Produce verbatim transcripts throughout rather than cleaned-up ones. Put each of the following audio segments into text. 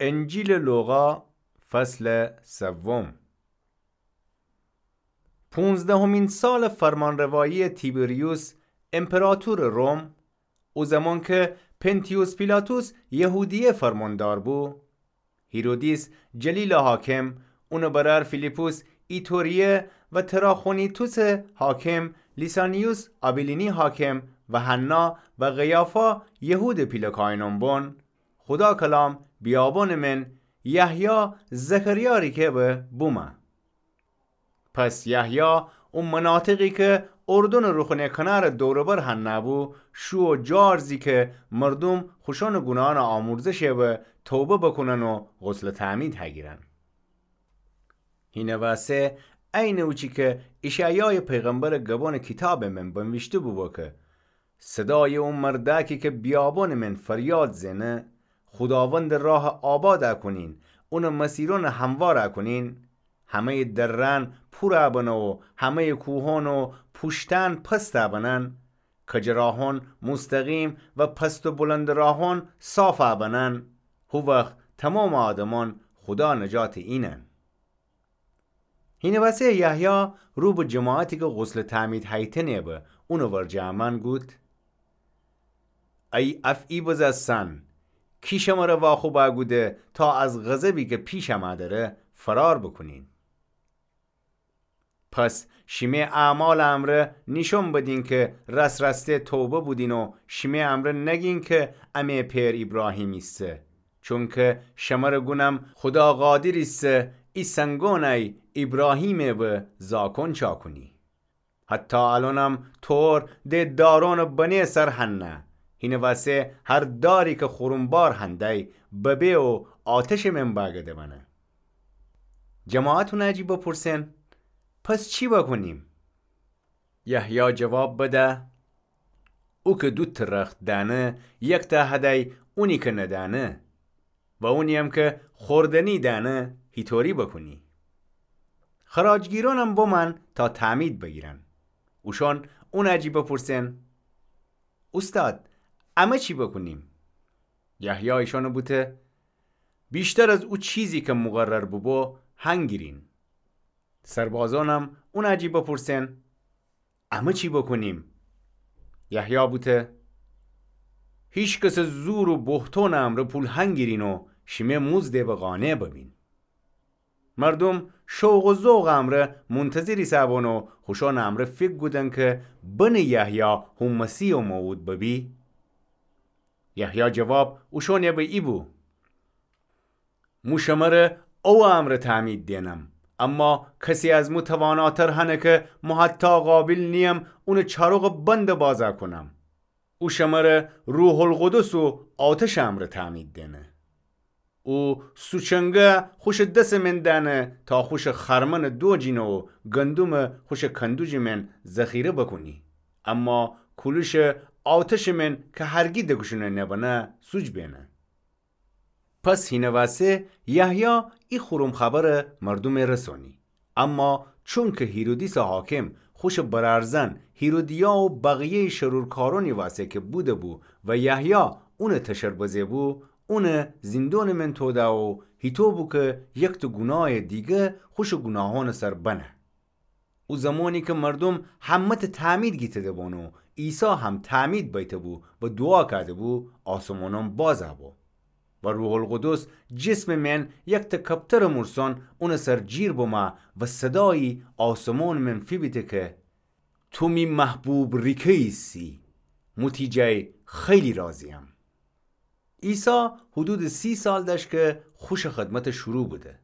انجیلٚ لوقا، فصلٚ سوم. پونزدهمین سالٚ فرمانرواییٚ تیبریوس امپراطورٚ روم، او زمان کی پنتیوس پیلاطس یهودیه فرماندار بو، هیرودیس جلیلٚ حاکم، اونٚ برأر فیلیپس ایتوریه و تراخونیتوسٚ حاکم، لیسانیوس آبیلینی حاکم و حنا و قیافا یهودٚ پیله کاهنأن بون، خودا کلام بیابونٚ من یحیی زکریا ریکه به بومه. پس یحیی او مناطقی کی اردنٚ روخونٚ کنارٚ دور و بر هنه بو، شو و جا ارزی کی مردوم خوشأنٚ گوناهأنٚ آمرزشه به توبه بوکونن و غسلٚ تعمید هگیرن. هینه واسه عینٚ اوچی کی اشعیایٚ پیغمبرٚ گبونٚ کیتابٚ من بنویشته بوبو کی صدایٚ او مردأکی کی بیابونٚ من فریاد زئنه، خوداوندٚ راه آباد کونین، اونٚ مسیرأن هموار کونین. همه‌یٚ دره‌أن پور بنه و همه‌یٚ کوهأن و پوشتأن پست بنن، کجٚ راهأن مستقیم و پست و بلندٚ راهأن صاف بنن. هو وخت تومامٚ آدمأن خودا نجاتٚ اینن. هینٚ وسه یحیی رو به جماعتی کی غسلٚ تعمید هیتنه به اونٚ ورجه امأن گود: ای افعی بزستن، کی شمره واخوب کوده تا از غضبی کی پیش امأ دره فرار بوکونین؟ پس شیمه اعمالٚ امرأ نیشأن بدین کی راست راسته توبه بودین و شیمه امرأ نگین کی امه پئر ایبراهیم ایسه. چونکی شمره گونم خودا قادر ایسه ای سنگأنَی ایبراهیمٚ به زاکون چاکونی. حتی الأنم تور ده دارأنٚ بنه سر هنه. هینٚ وسه هر داری کی خورم بار هنده‌ی ببه و آتشٚ من بأگده بنه. جماعت اونٚ جی بپرسن: پس چی بوکونیم؟ یحیی جواب بده: او کی دوتٚ رخت دأنه، یکتأ هده‌ی اونی کی ندأنه، و اونی‌یم کی خوردنی دأنه، هیطوری بوکونی؟ خراجگیرأنم بمأن تا تعمید بگیرن. اوشأن اونٚ جی بپرسن: اوستاد، امه چی بوکونیم؟ یحیی ایشأنٚ بوته: ویشتر از او چیزی کی مقرر بوبو هنگیرین. سربازأنم اونٚ جی بپرسن: امه چی بوکونیم؟ یحیی بوته: هیکسٚ زور و بوهتونٚ امرأ پول هنگیرین و شیمه مزدٚ به قانع ببین. مردوم شوق و ذوقٚ امرأ منتظر ایسه‌بون و خوشأنٚ امرأ فیکر کودن کی بنه یحیی هو مسیحٚ موعود ببی. یحیی جواب اوشأنٚ به ای بو: مو شمره اوٚ امرأ تعمید دئنم، اما کسی از مو تواناتر هنه کی مو حتی قابل نییم اونٚ چاروقٚ بند بازَ کونم. او شمره روح‌القدس و آتشٚ امرأ تعمید دئنه. او سوچنگه خوشٚ دسٚ من دأنه تا خوشٚ خرمنٚ دوجینه و گندومٚ خوشٚ کندوجٚ من ذخیره بوکونی، اما کولوشٚ آتشٚ من کی هرگی دکشونه نبنه سوج بئنه. پس هینٚ وسه یحیی ای خورم خبر مردومٚ رسونی. اما چونکی هیرودیسٚ حاکم خوشٚ برأرزن هیرودیا و بقیه‌یٚ شرورکارونی وسه کی بوده‌بو و یحیی اونٚ تشر بزه‌بو، اونٚ زیندونٚ من توده و هیطو بو کی یکتٚ گوناهٚ دیگه خوشٚ گوناهونٚ سر بنه. او زمانی کی مردوم همه‌تأ تعمید گیته‌ده‌بون و عیسی هم تعمید بیته‌بو و دوعا کأده‌بو، آسمونأن بازَ بو و روح‌القدس جسمٚ من یکتأ کپترٚ مورسون اونٚ سر جیر بمه و صدایی آسمونٚ من فیبیته کی تو می محبوب ریکه ایسی، مو تی جای خیلی راضی‌یم. عیسی حدودٚ سی سال دأشت کی خوشٚ خدمت شروع بوده.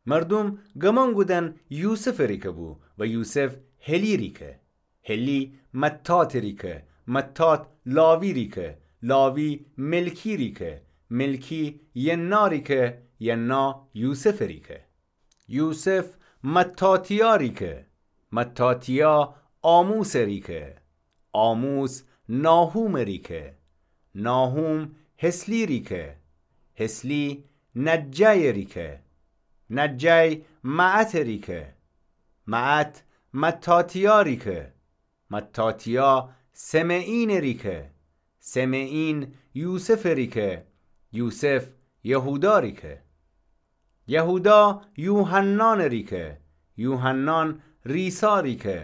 مردوم گمان کودن یوسفٚ ریکه بو و یوسف هلی ریکه، هلی متاتٚ ریکه، متات لاوی ریکه، لاوی ملکی ریکه، ملکی ینا ریکه، ینا یوسفٚ ریکه. یوسف متاتیا ریکه، متاتیا آموسٚ ریکه، آموس ناحومٚ ریکه، ناحوم حسلی ریکه، حسلی نجایٚ ریکه، نجای معتٚ ریکه، معت متاتیا ریکه، متاتیا سمعینٚ ریکه، سمعین یوسفٚ ریکه، یوسف یهودا ریکه. یهودا یوحنان ریکه، یوحنان ریسا ریکه،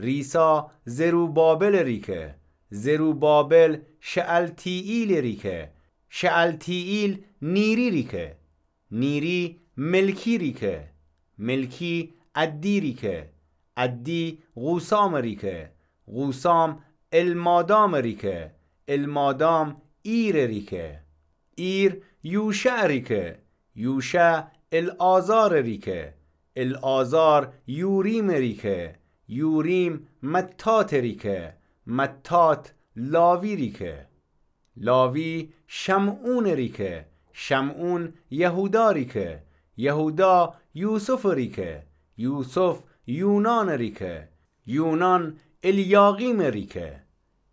ریسا زروبابل ریکه، زروبابل شعلتیئیل ریکه، شعلتیئیل نیری ریکه، نیری ملکی ریکه، ملکی عدی ریکه، عدی قوسام ریکه، قوسام المادام ریکه، المادام ایر ریکه، ایر یوشع ریکه، یوشع العازار ریکه، العازار یوریم ریکه، یوریم متات ریکه، متات لاوی ریکه. لاوی شمعون ریکه، شمعون یهودا ریکه، یهودا یوسف ریکه، یوسف یونان ریکه، یونان الیاقیم ریکه،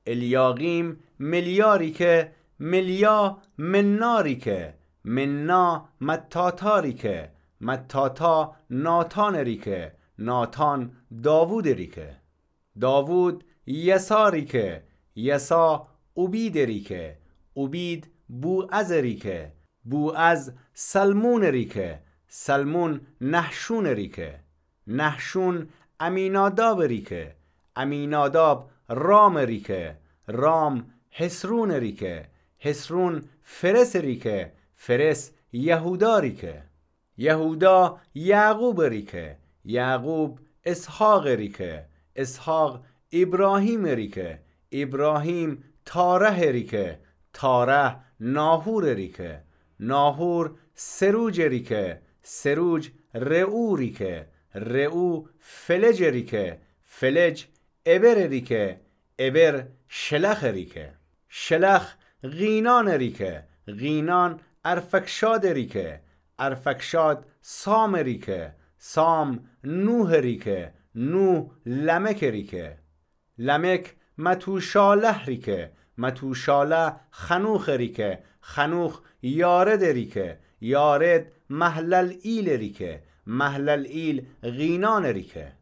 الیاقیم ملیا ریکه، ملیا منا ریکه، منا متاتا ریکه، متاتا ناتان ریکه، ناتان داوود ریکه. داوود یسا ریکه، یسا اوبید ریکه، اوبید بوعز ریکه، بوعز سلمون ریکه، سلمون نحشون ریکه، نحشون امیناداب ریکه، امیناداب رام ریکه، رام حسرون ریکه، حسرون فرس ریکه، فرس یهودا ریکه. یهودا یعقوب ریکه، یعقوب اسحاق ریکه، اسحاق ابراهیم ریکه، ابراهیم تارح ریکه، تارح ناحور ریکه، ناحور سروج ریکه، سروج رعو ریکه، رعو فلج ریکه، فلج ابر ریکه، ابر شلخ ریکه. شلخ قینان ریکه، قینان ارفکشاد ریکه، ارفکشاد سام ریکه، سام نوح ریکه، نوح لمک ریکه. لمک متوشاله ریکه، متوشاله خنوخ ریکه، خنوخ یارد ریکه، یارد مهللئیل ریکه، مهللئیل قینان ریکه.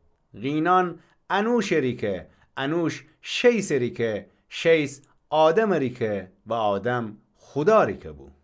قینان انوش ریکه، انوش شیث ریکه، شیث آدم ریکه و آدم خودا ریکه بو.